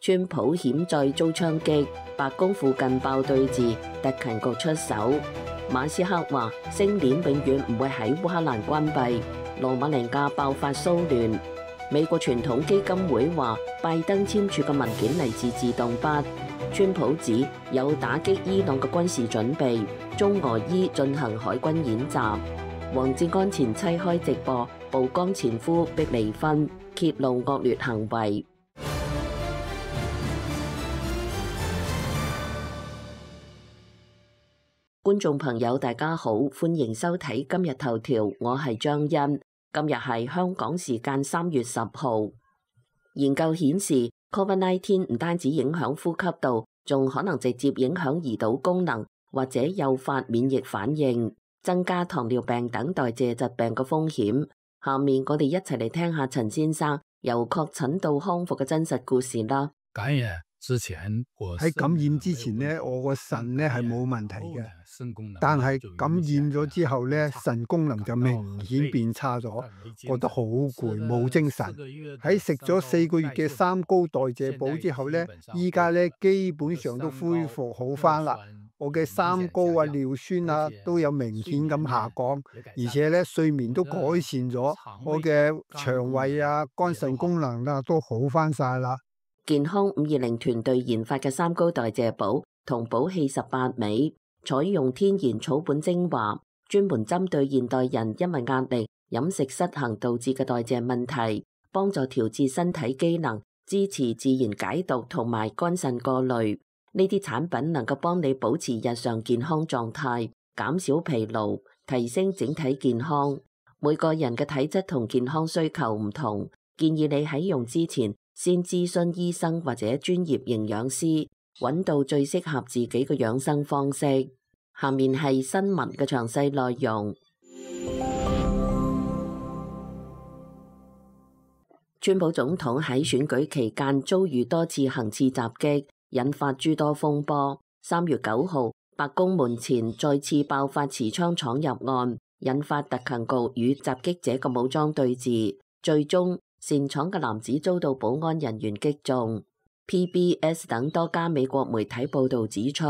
川普險再遭槍擊，白宮附近爆對峙，特勤局出手。馬斯克話星鏈永遠唔會喺烏克蘭關閉。羅馬尼亞爆發騷亂。美國傳統基金會話拜登簽署嘅文件嚟自自動筆。川普指有打擊伊朗嘅軍事準備。中俄伊進行海軍演習。王志安前妻開直播曝光前夫逼離婚，揭露惡劣行為。觀眾朋友大家好，歡迎收睇今日頭條，我係張欣。今日係香港時間3月10號。研究顯示 ，COVID-19 唔單止影響呼吸道，仲可能直接影響胰島功能，或者誘發免疫反應，增加糖尿病等代謝疾病嘅風險。下面我哋一齊嚟聽下陳先生由確診到康復嘅真實故事啦。喺感染之前呢，我個腎呢係冇問題嘅，但係感染咗之後呢，腎功能就明顯變差咗，覺得好攰，冇精神。喺食咗4個月嘅三高代謝補之後呢，依家呢基本上都恢復好返啦。我嘅三高啊、尿酸啊都有明顯咁下降，而且呢睡眠都改善咗，我嘅腸胃啊、肝腎功能啊都好返晒啦。健康520團隊研發嘅三高代謝補同補氣18味，採用天然草本精華，專門針對現代人因為壓力、飲食失衡導致嘅代謝問題，幫助調節身體機能，支持自然解毒同埋肝腎過濾。呢啲產品能夠幫你保持日常健康狀態，減少疲勞，提升整體健康。每個人嘅體質同健康需求唔同，建議你喺用之前先諮詢醫生或者專業營養師，揾到最適合自己嘅養生方式。下面係新聞嘅詳細內容。川普總統喺選舉期間遭遇多次行刺襲擊，引發諸多風波。3月9號，白宮門前再次爆發持槍闖入案，引發特勤局與襲擊者嘅武裝對峙，最終擅闖嘅男子遭到保安人員擊中。PBS 等多家美國媒體報道指出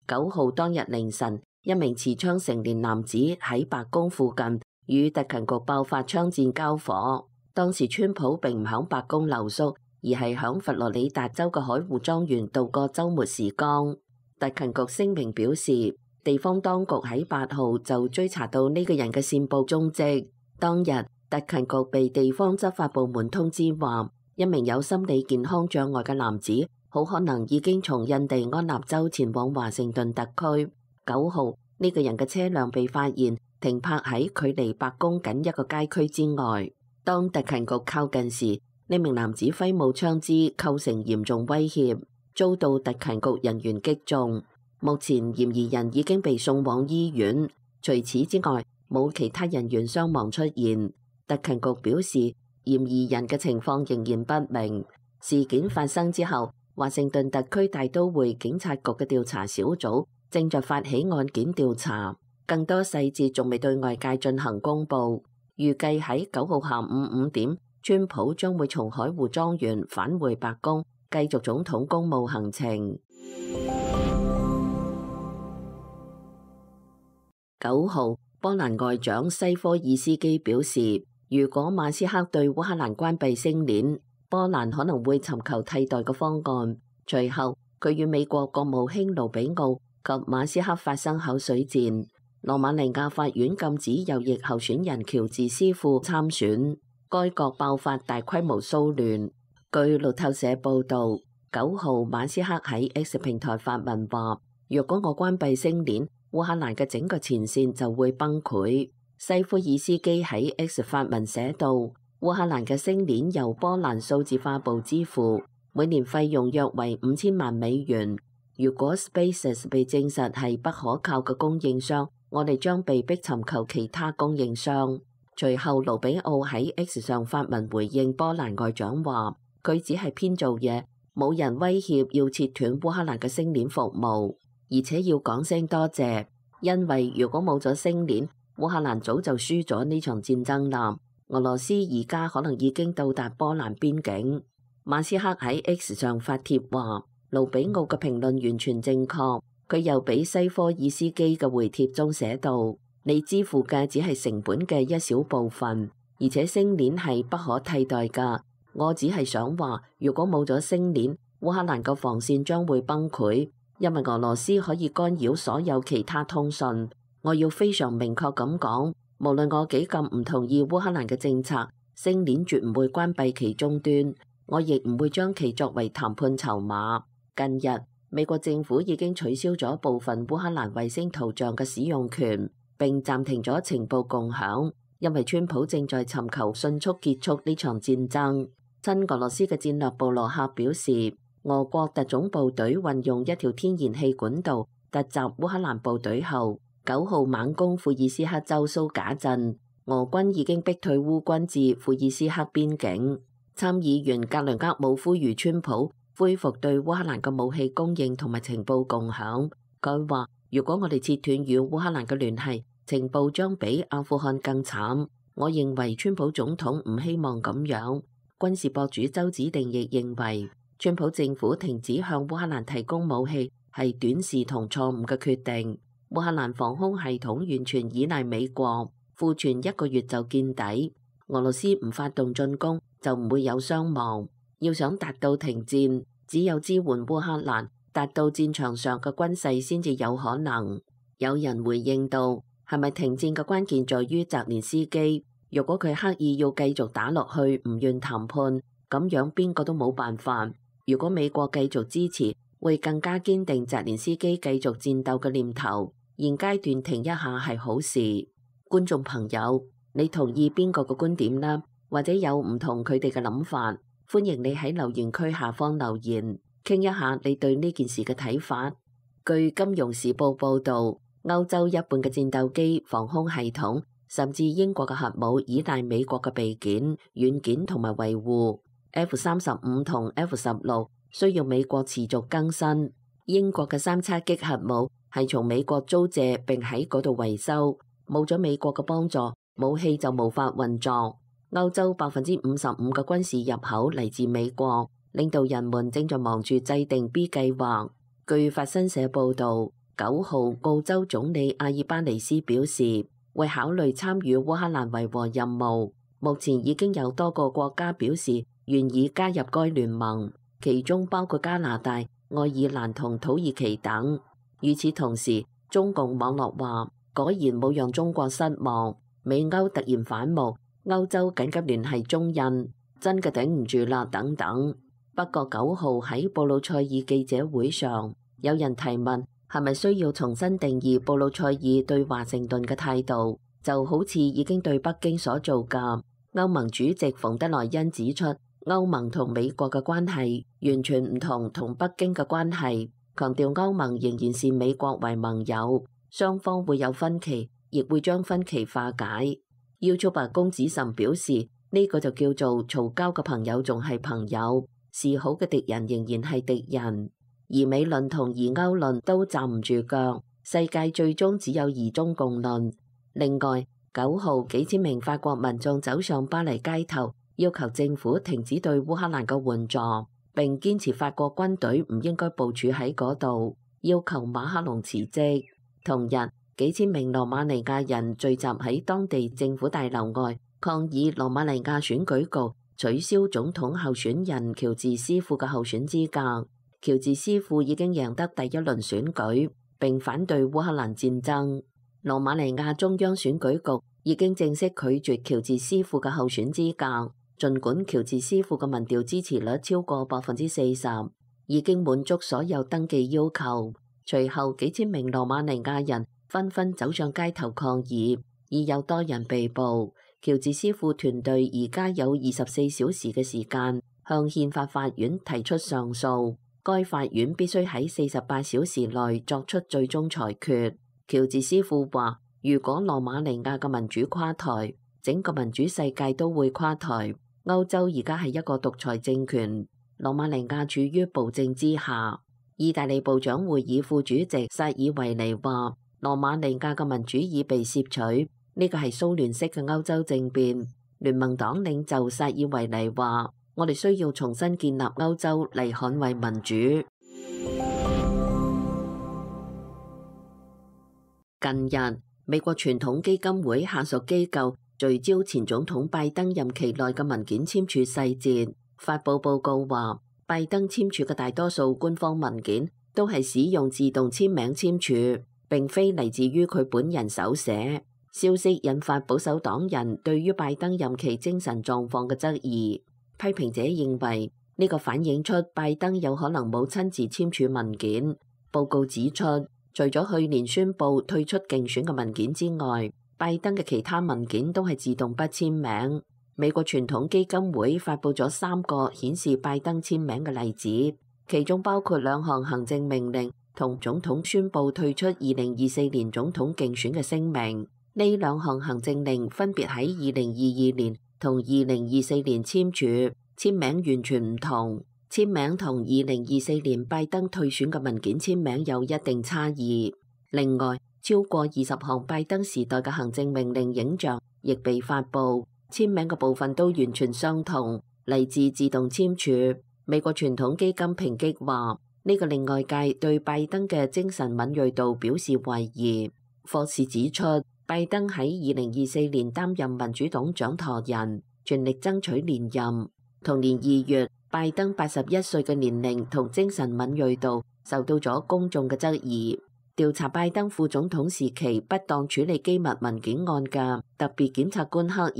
，9號當日凌晨，一名持槍成年男子喺白宮附近與特勤局爆發槍戰交火。當時川普並唔響白宮留宿，而係響佛羅里達州嘅海湖莊園度過週末時光。特勤局聲明表示，地方當局喺8號就追查到呢個人嘅線報蹤跡。當日，特勤局被地方執法部門通知話，一名有心理健康障礙嘅男子好可能已經從印第安納州前往華盛頓特區。9號，呢個人嘅車輛被發現停泊喺距離白宮僅一個街區之外。當特勤局靠近時，呢名男子揮舞槍支構成嚴重威脅，遭到特勤局人員擊中。目前嫌疑人已經被送往醫院。除此之外，冇其他人員傷亡出現。特勤局表示，嫌疑人嘅情況仍然不明。事件發生之後，華盛頓特區大都會警察局嘅調查小組正在發起案件調查，更多細節仲未對外界進行公佈。預計喺9號下午5點，川普將會從海湖莊園返回白宮，繼續總統公務行程。9號，波蘭外長西科爾斯基表示，如果馬斯克對烏克蘭關閉星鏈，波蘭可能會尋求替代嘅方案。隨後，佢與美國國務卿盧比奧及馬斯克發生口水戰。羅馬尼亞法院禁止右翼候選人喬治斯庫參選，該國爆發大規模騷亂。據路透社報導，9號馬斯克喺 X 平台發文話：若果我關閉星鏈，烏克蘭嘅整個前線就會崩潰。西夫爾斯基喺 X 發文寫道：烏克蘭嘅星鏈由波蘭數字化部支付，每年費用約為5000萬美元。如果 SpaceX 被證實係不可靠嘅供應商，我哋將被迫尋求其他供應商。隨後，盧比奧喺 X 上發文回應波蘭外長話：佢只係編造嘢，冇人威脅要切斷烏克蘭嘅星鏈服務，而且要講聲多謝，因為如果冇咗星鏈，烏克蘭早就輸咗呢場戰爭啦。俄羅斯而家可能已經到達波蘭邊境。馬斯克喺 X 上發帖話，盧比奧嘅評論完全正確。佢又俾西科爾斯基嘅回帖中寫道：你支付嘅只係成本嘅一小部分，而且星鏈係不可替代㗎。我只係想話，如果冇咗星鏈，烏克蘭嘅防線將會崩潰，因為俄羅斯可以干擾所有其他通訊。我要非常明確咁講，無論我幾咁唔同意烏克蘭嘅政策，星鏈絕唔會關閉其終端，我亦唔會將其作為談判籌碼。近日，美國政府已經取消咗部分烏克蘭衛星圖像嘅使用權，並暫停咗情報共享，因為川普正在尋求迅速結束呢場戰爭。親俄羅斯嘅戰略部落客表示，俄國特種部隊運用一條天然氣管道突襲烏克蘭部隊後，9號猛攻庫爾斯克州蘇賈鎮，俄軍已經逼退烏軍至庫爾斯克邊境。參議員格倫格姆呼籲川普恢復對烏克蘭嘅武器供應同埋情報共享。佢話：如果我哋切斷與烏克蘭嘅聯繫，情報將比阿富汗更慘。我認為川普總統唔希望咁樣。軍事博主周子定亦認為，川普政府停止向烏克蘭提供武器係短視同錯誤嘅決定。烏克蘭防空系統完全依賴美國，庫存1個月就見底。俄羅斯唔發動進攻就唔會有傷亡。要想達到停戰，只有支援烏克蘭，達到戰場上嘅軍勢先至有可能。有人回應到，係咪停戰嘅關鍵在於澤連斯基？如果佢刻意要繼續打落去，唔願談判，咁樣邊個都冇辦法。如果美國繼續支持，會更加堅定澤連斯基繼續戰鬥嘅念頭。現階段停一下係好事。觀眾朋友，你同意邊個嘅觀點呢？或者有唔同佢哋嘅諗法？歡迎你喺留言區下方留言，傾一下你對呢件事嘅睇法。據《金融時報》報導，歐洲一半嘅戰鬥機、防空系統，甚至英國嘅核武依賴美國嘅備件、軟件同埋維護。F-35同 F-16需要美國持續更新。英國嘅3叉戟核武係從美國租借並喺嗰度維修，冇咗美國嘅幫助，武器就無法運作。歐洲55%嘅軍事入口嚟自美國，領導人們正在忙住制定 B 計劃。據法新社報導，9號澳洲總理阿爾巴尼斯表示，會考慮參與烏克蘭維和任務。目前已經有多個國家表示願意加入該聯盟，其中包括加拿大、愛爾蘭同土耳其等。與此同時，中共網絡話，果然冇讓中國失望，美歐突然反目。歐洲緊急聯繫中印，真嘅頂唔住啦等等。不過9號喺布魯塞爾記者會上，有人提問係咪需要重新定義布魯塞爾對華盛頓嘅態度，就好似已經對北京所做㗎。歐盟主席馮德萊恩指出，歐盟同美國嘅關係完全唔同北京嘅關係，強調歐盟仍然視美國為盟友，雙方會有分歧，亦會將分歧化解。YouTuber 公子岑表示，呢個就叫做嘈交嘅朋友仲係朋友，示好嘅敵人仍然係敵人。而美論同而歐論都站唔住腳，世界最終只有而中共論。另外，9號幾千名法國民眾走上巴黎街頭，要求政府停止對烏克蘭嘅援助，並堅持法國軍隊唔應該部署喺嗰度，要求馬克龍辭職。同日，幾千名羅馬尼亞人聚集喺當地政府大樓外，抗議羅馬尼亞選舉局取消總統候選人喬治斯庫嘅候選資格。喬治斯庫已經贏得第一輪選舉，並反對烏克蘭戰爭。羅馬尼亞中央選舉局已經正式拒絕喬治斯庫嘅候選資格，儘管喬治斯庫嘅民調支持率超過40%，已經滿足所有登記要求。隨後幾千名羅馬尼亞人紛紛走上街頭抗議，已有多人被捕。喬治斯庫團隊而家有24小時嘅時間向憲法法院提出上訴，該法院必須喺48小時內作出最終裁決。喬治斯庫話：如果羅馬尼亞嘅民主垮台，整個民主世界都會垮台。歐洲而家係一個獨裁政權，羅馬尼亞處於暴政之下。意大利部長會議副主席薩爾維尼話：羅馬尼亞嘅民主已被竊取，呢個係蘇聯式嘅歐洲政變。聯盟黨領袖薩爾維尼話：我哋需要重新建立歐洲嚟捍衛民主。近日，美國傳統基金會下屬機構聚焦前總統拜登任期內嘅文件簽署細節，發佈報告話，拜登簽署嘅大多數官方文件都係使用自動簽名簽署，並非嚟自於佢本人手寫。消息引發保守黨人對於拜登任期精神狀況嘅質疑，批評者認為呢個反映出拜登有可能冇親自簽署文件。報告指出，除咗去年宣布退出競選嘅文件之外，拜登嘅其他文件都係自動不簽名。美國傳統基金會發佈咗3個顯示拜登簽名嘅例子，其中包括2項行政命令同總統宣布退出2024年總統競選嘅聲明。呢2項行政令分別喺2022年同2024年簽署，簽名完全唔同。簽名同2024年拜登退選嘅文件簽名有一定差異。另外，超過20項拜登時代嘅行政命令影像亦被發布，簽名嘅部分都完全相同，嚟自自動簽署。美國傳統基金抨擊話，呢個令外界對拜登嘅精神敏銳度表示懷疑。霍士指出，拜登喺2024年擔任民主黨掌舵人，全力爭取連任。同年2月，拜登81歲嘅年齡同精神敏銳度受到咗公眾嘅質疑。調查拜登副總統時期不當處理機密文件案嘅特別檢察官克爾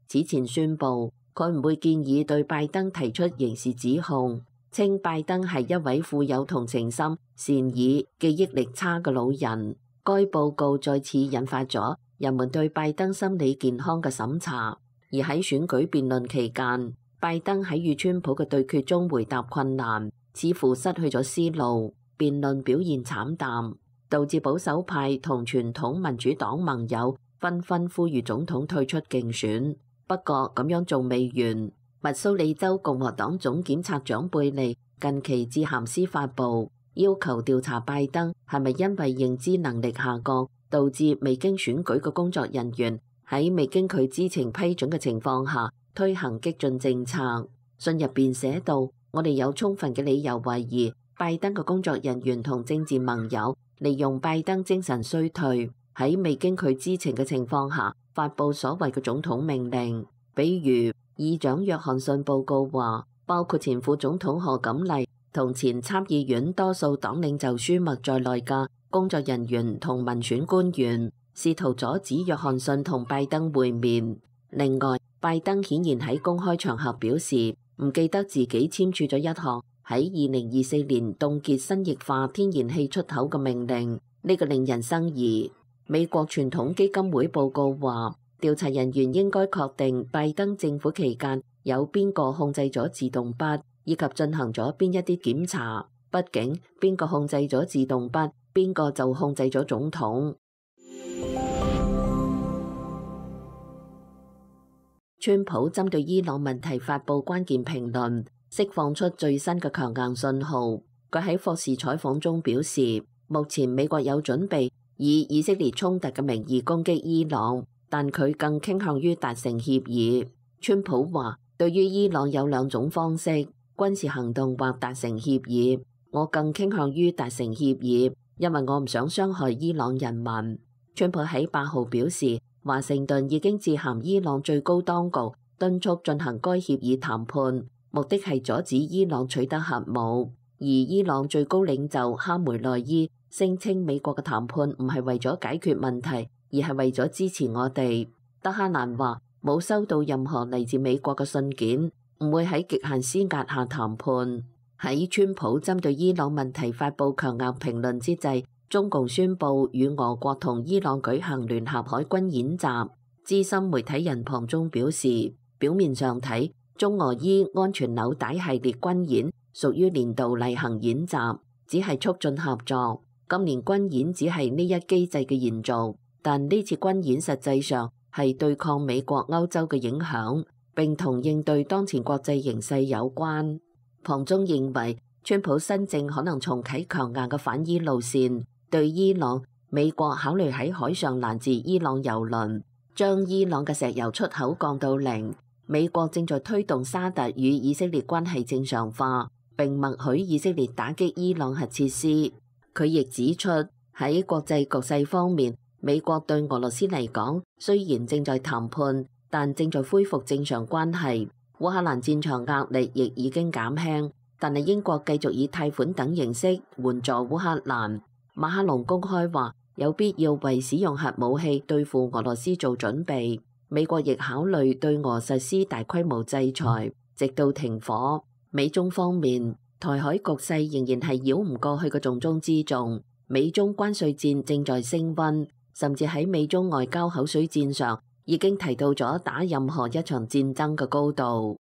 此前宣布，佢唔會建議對拜登提出刑事指控，稱拜登係一位富有同情心、善意、記憶力差嘅老人。該報告再次引發咗人們對拜登心理健康嘅審查。而喺選舉辯論期間，拜登喺與川普嘅對決中回答困難，似乎失去咗思路，辯論表現慘淡，導致保守派同傳統民主黨盟友紛紛呼籲總統退出競選。不過咁樣仲未完，密蘇里州共和黨總檢察長貝利近期致函司法部，要求調查拜登係咪因為認知能力下降，導致未經選舉嘅工作人員喺未經佢知情批准嘅情況下推行激進政策。信入邊寫到，我哋有充分嘅理由懷疑拜登嘅工作人員同政治盟友利用拜登精神衰退，喺未經佢知情嘅情況下發布所謂嘅總統命令。比如議長約翰遜報告話，包括前副總統賀錦麗同前參議院多數黨領袖舒默在內嘅工作人員同民選官員試圖阻止約翰遜同拜登會面。另外，拜登顯然喺公開場合表示唔記得自己簽署咗一項喺2024年凍結新液化天然氣出口嘅命令，呢個令人生疑。美國傳統基金會報告話，調查人員應該確定拜登政府期間有邊個控制咗自動筆，以及進行咗邊一啲檢查。畢竟邊個控制咗自動筆，邊個就控制咗總統。川普針對伊朗問題發布關鍵評論，釋放出最新嘅強硬信號。佢喺霍士採訪中表示，目前美國有準備以以色列衝突嘅名義攻擊伊朗，但佢更傾向於達成協議。川普話，對於伊朗有2種方式，軍事行動或達成協議。我更傾向於達成協議，因為我唔想傷害伊朗人民。川普喺8號表示，華盛頓已經致函伊朗最高當局，敦促進行該協議談判，目的係阻止伊朗取得核武。而伊朗最高領袖哈梅內伊聲稱美國嘅談判唔係為咗解決問題，而係為咗支持我哋。德哈蘭話冇收到任何嚟自美國嘅信件，唔會喺極限施壓下談判。喺川普針對伊朗問題發布強硬評論之際，中共宣布與俄國同伊朗舉行聯合海軍演習。資深媒體人龐中表示，表面上睇，中俄伊安全紐帶系列軍演屬於年度例行演習，只係促進合作。今年軍演只係呢一機制嘅延續，但呢次軍演實際上係對抗美國、歐洲嘅影響，並同應對當前國際形勢有關。龐中認為，川普新政可能重啟強硬嘅反伊路線。對伊朗，美國考慮喺海上攔截伊朗油輪，將伊朗嘅石油出口降到0。美國正在推動沙特與以色列關係正常化，並默許以色列打擊伊朗核設施。佢亦指出，喺國際局勢方面，美國對俄羅斯嚟講雖然正在談判，但正在恢復正常關係。烏克蘭戰場壓力亦已經減輕，但係英國繼續以貸款等形式援助烏克蘭。馬克龍公開話有必要為使用核武器對付俄羅斯做準備。美國亦考慮對俄實施大規模制裁，直到停火。美中方面，台海局勢仍然係繞唔過去嘅重中之重。美中關稅戰正在升溫，甚至喺美中外交口水戰上已經提到咗打任何一場戰爭嘅高度。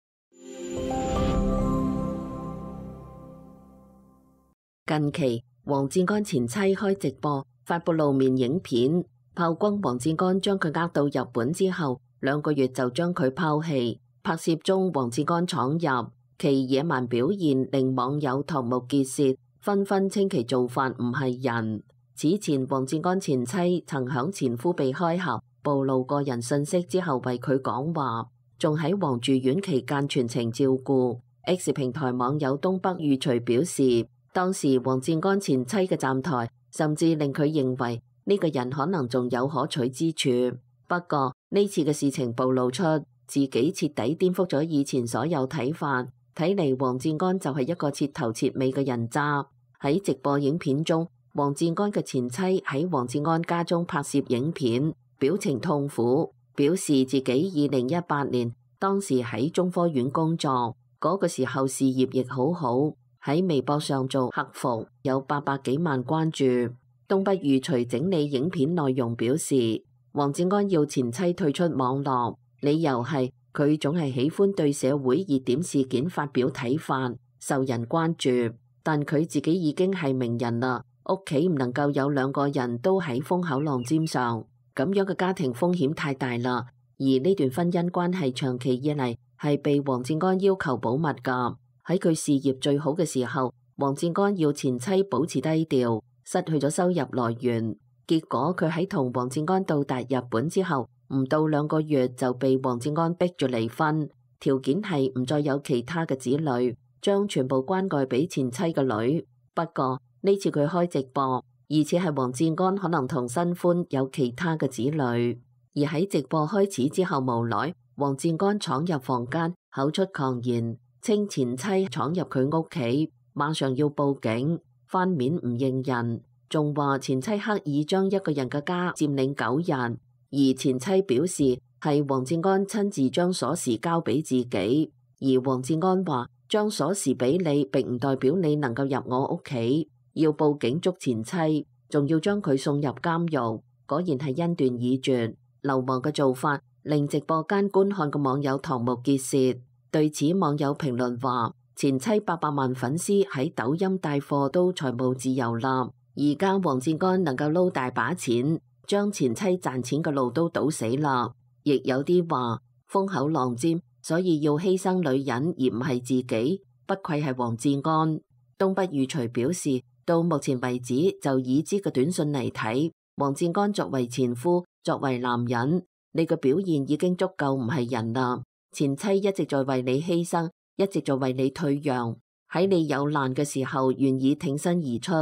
近期，黃志安前妻開直播發布露面影片，炮轟黃志安將佢呃到日本之後2個月就將佢拋棄。拍攝中，黃志安闖入，其野蠻表現令網友瞠目結舌，紛紛稱其做法唔係人。此前，黃志安前妻曾響前夫被開盒暴露個人信息之後為佢講話，仲喺黃住院期間全程照顧。X 平台網友東北裕隨表示，當時黃志安前妻嘅站台甚至令佢認為呢個人可能仲有可取之處。不過呢次嘅事情暴露出自己徹底顛覆咗以前所有睇法，睇嚟黃志安就係一個徹頭徹尾嘅人渣。喺直播影片中，黃志安嘅前妻喺黃志安家中拍攝影片，表情痛苦，表示自己2018年當時喺中科院工作，嗰個時候事業亦好好，喺微博上做客服，有800幾萬關注。東北裕隨整理影片內容表示，黃志安要前妻退出網絡，理由係佢總係喜歡對社會熱點事件發表睇法，受人關注。但佢自己已經係名人啦，屋企唔能夠有2個人都喺風口浪尖上，咁樣嘅家庭風險太大啦。而呢段婚姻關係長期以嚟係被黃志安要求保密㗎。喺佢事業最好嘅時候，黃志安要前妻保持低調，失去咗收入來源。結果佢喺同黃志安到達日本之後，唔到2個月就被黃志安逼住離婚，條件係唔再有其他嘅子女，將全部關愛俾前妻嘅女。不過呢次佢開直播，而且係黃志安可能同新歡有其他嘅子女。而喺直播開始之後無耐，黃志安闖入房間，口出狂言，稱前妻闖入佢屋企，馬上要報警，翻面唔認人，仲話前妻刻意將一個人嘅家佔領9日，而前妻表示係黃志安親自將鎖匙交俾自己，而黃志安話將鎖匙俾你並唔代表你能夠入我屋企，要報警捉前妻，仲要將佢送入監獄。果然係恩斷義絕，流氓嘅做法令直播間觀看嘅網友瞠目結舌。對此，網友評論話：前妻800萬粉絲喺抖音帶貨都財務自由啦，而家黃志安能夠撈大把錢，將前妻賺錢嘅路都堵死啦。亦有啲話風口浪尖，所以要犧牲女人而唔係自己，不愧係黃志安。東北裕隨表示，到目前為止就已知嘅短信嚟睇，黃志安作為前夫，作為男人，你嘅表現已經足夠唔係人啦。前妻一直在為你犧牲，一直在為你退讓，喺你有難嘅時候願意挺身而出。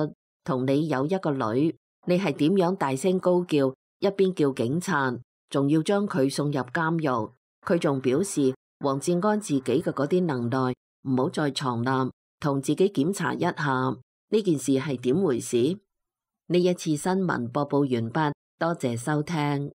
同你有一個女，你係點樣大聲高叫，一邊叫警察，仲要將佢送入監獄。佢仲表示黃志安自己嘅嗰啲能耐唔好再藏啦，同自己檢查一下呢件事係點回事。呢一次新聞播報完畢，多謝收聽。